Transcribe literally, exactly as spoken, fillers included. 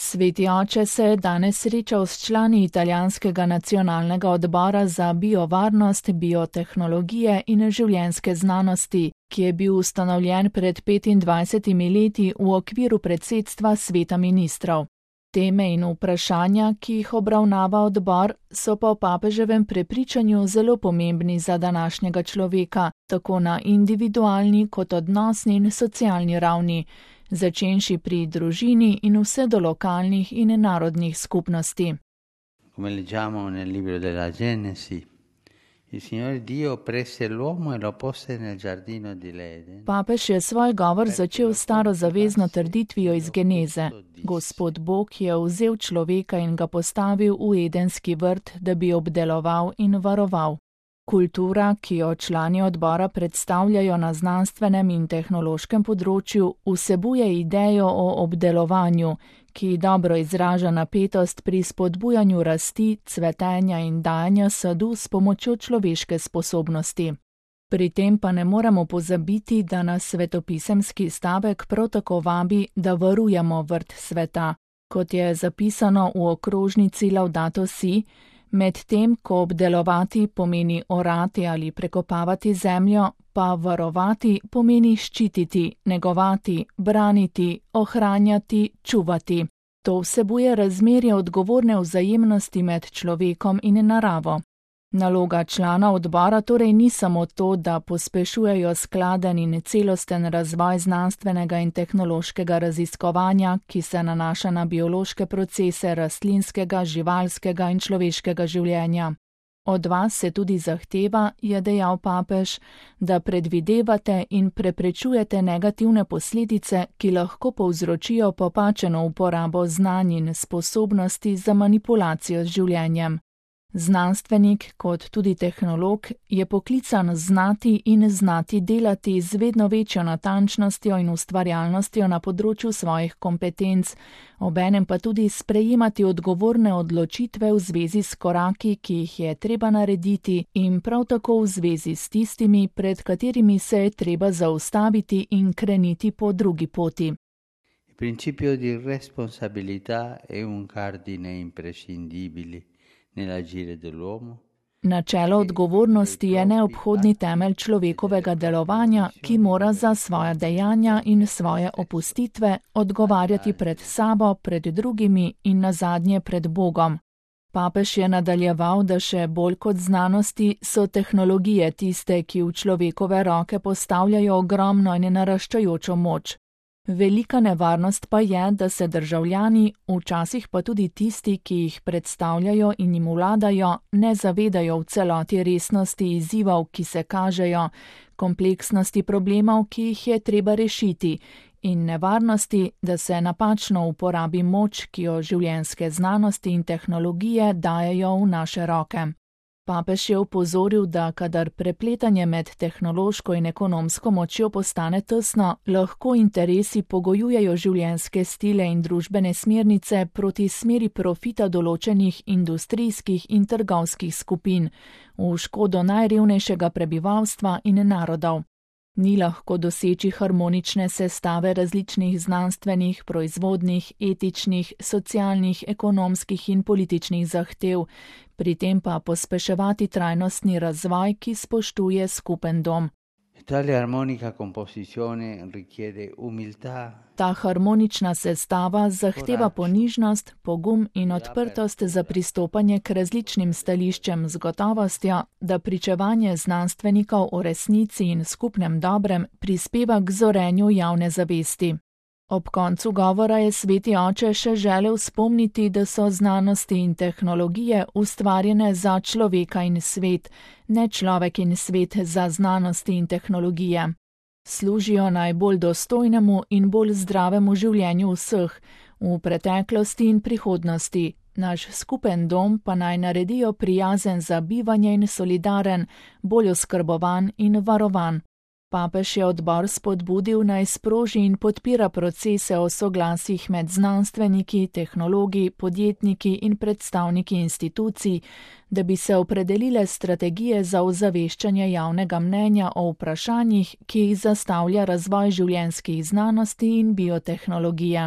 Sveti oče se je danes srečal s člani italijanskega nacionalnega odbora za biovarnost, biotehnologije in življenjske znanosti, ki je bil ustanovljen pred petindvajsetimi leti v okviru predsedstva sveta ministrov. Teme in vprašanja, ki jih obravnava odbor, so po papeževem prepričanju zelo pomembni za današnjega človeka, tako na individualni kot odnosni in socialni ravni, začenši pri družini in vse do lokalnih in narodnih skupnosti. Come leggiamo nel libro della Genesi, il Signore Dio prese l'uomo e lo pose nel giardino di Eden. Papež je svoj govor začel s starozavezno trditvijo iz Geneze. Gospod Bog je vzel človeka in ga postavil v edenski vrt, da bi obdeloval in varoval. Kultura, ki jo člani odbora predstavljajo na znanstvenem in tehnološkem področju, vsebuje idejo o obdelovanju, ki dobro izraža napetost pri spodbujanju rasti, cvetenja in dajanja sadu s pomočjo človeške sposobnosti. Pri tem pa ne moremo pozabiti, da nas svetopisemski stavek prav tako vabi, da varujemo vrt sveta. Kot je zapisano v okrožnici Laudato Si, medtem ko obdelovati pomeni orati ali prekopavati zemljo, pa varovati pomeni ščititi, negovati, braniti, ohranjati, čuvati. To vsebuje razmerje odgovorne vzajemnosti med človekom in naravo. Naloga člana odbora torej ni samo to, da pospešujejo skladen in celosten razvoj znanstvenega in tehnološkega raziskovanja, ki se nanaša na biološke procese rastlinskega, živalskega in človeškega življenja. Od vas se tudi zahteva, je dejal papež, da predvidevate in preprečujete negativne posledice, ki lahko povzročijo popačeno uporabo znanj in sposobnosti za manipulacijo z življenjem. Znanstvenik, kot tudi tehnolog, je poklican znati in znati delati z vedno večjo natančnostjo in ustvarjalnostjo na področju svojih kompetenc, obenem pa tudi sprejemati odgovorne odločitve v zvezi s koraki, ki jih je treba narediti, in prav tako v zvezi s tistimi, pred katerimi se je treba zaustaviti in kreniti po drugi poti. Il principio di responsabilità è un cardine imprescindibile. Načelo odgovornosti je neobhodni temelj človekovega delovanja, ki mora za svoja dejanja in svoje opustitve odgovarjati pred sabo, pred drugimi in nazadnje pred Bogom. Papež je nadaljeval, da še bolj kot znanosti so tehnologije tiste, ki v človekove roke postavljajo ogromno in naraščajočo moč. Velika nevarnost pa je, da se državljani, včasih pa tudi tisti, ki jih predstavljajo in jim vladajo, ne zavedajo v celoti resnosti izzivov, ki se kažejo, kompleksnosti problemov, ki jih je treba rešiti, in nevarnosti, da se napačno uporabi moč, ki jo življenjske znanosti in tehnologije dajejo v naše roke. Papež je opozoril, da kadar prepletanje med tehnološko in ekonomsko močjo postane tesno, lahko interesi pogojujejo življenjske stile in družbene smernice proti smeri profita določenih industrijskih in trgovskih skupin, v škodo najrevnejšega prebivalstva in narodov. Ni lahko doseči harmonične sestave različnih znanstvenih, proizvodnih, etičnih, socialnih, ekonomskih in političnih zahtev, pri tem pa pospeševati trajnostni razvoj, ki spoštuje skupen dom. Ta harmonična sestava zahteva ponižnost, pogum in odprtost za pristopanje k različnim stališčem z gotovostjo, da pričevanje znanstvenikov o resnici in skupnem dobrem prispeva k zorenju javne zavesti. Ob koncu govora je sveti oče še želel spomniti, da so znanosti in tehnologije ustvarjene za človeka in svet, ne človek in svet za znanosti in tehnologije. Služijo najbolj dostojnemu in bolj zdravemu življenju vseh, v preteklosti in prihodnosti. Naš skupen dom pa naj naredijo prijazen za bivanje in solidaren, bolj oskrbovan in varovan. Papež je odbor spodbudil naj sproži in podpira procese o soglasjih med znanstveniki, tehnologi, podjetniki in predstavniki institucij, da bi se opredelile strategije za ozaveščanje javnega mnenja o vprašanjih, ki jih zastavlja razvoj življenjskih znanosti in biotehnologije.